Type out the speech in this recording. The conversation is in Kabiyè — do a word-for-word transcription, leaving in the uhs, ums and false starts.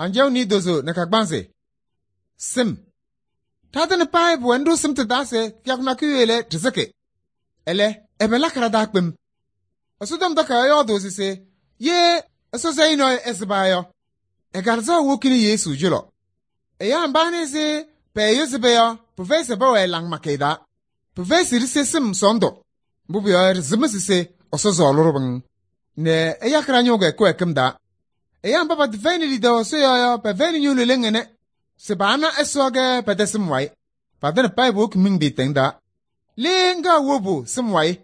Anjaɣ niidozo nɛ kagbaanzɩ. Sɩm. Ɖatɩŋa payɩ pʋwɛ nɖʋ sɩm tɩ-taa se kɩyakʋ nakʋyʋ lɛ ɖɩsɩkɩ. Ɛlɛ, ɛbɛ lakɩ ɖa-taa kpem? Ɛsɔtɔm Takayaɣ yɔɔdʋʋ se ye Ɛsɔ sayɩ nɔɔyʋ ɛsɩba yɔ, ɛ-Kalɩzaɣ wokini Yesu cɔlɔ. Ɛyaa mba anɩ se pɛɛyʋ sɩba yɔ, pɩfɛyɩ se pɛwɛɛ laŋɩmakɩyɛ taa. Pɩfɛyɩ se ɖise sɩm sɔɔndʋ. Mbʋ pʋyɔɔ yɔ, ɖɩsɩmɩsɩ se Ɛsɔ sɔɔlɩ-ɖʋ pɩŋ nɛ ɛyakɩ ɖa-ñʋʋ kɩwɛɛkɩm taa. Ɛyaa mba patɩfɛyɩnɩ lidaʋ Ɛsɔ yɔɔ yɔ, pɛfɛyɩnɩ ñʋʋ leleŋ ɛnɛ se paana Ɛsɔ kɛ pɛ-tɛ sɩm wayɩ. Patɩŋa payɩ powoki miŋ pɩɩtɛŋ taa. Le ŋga wobu sɩm wayɩ?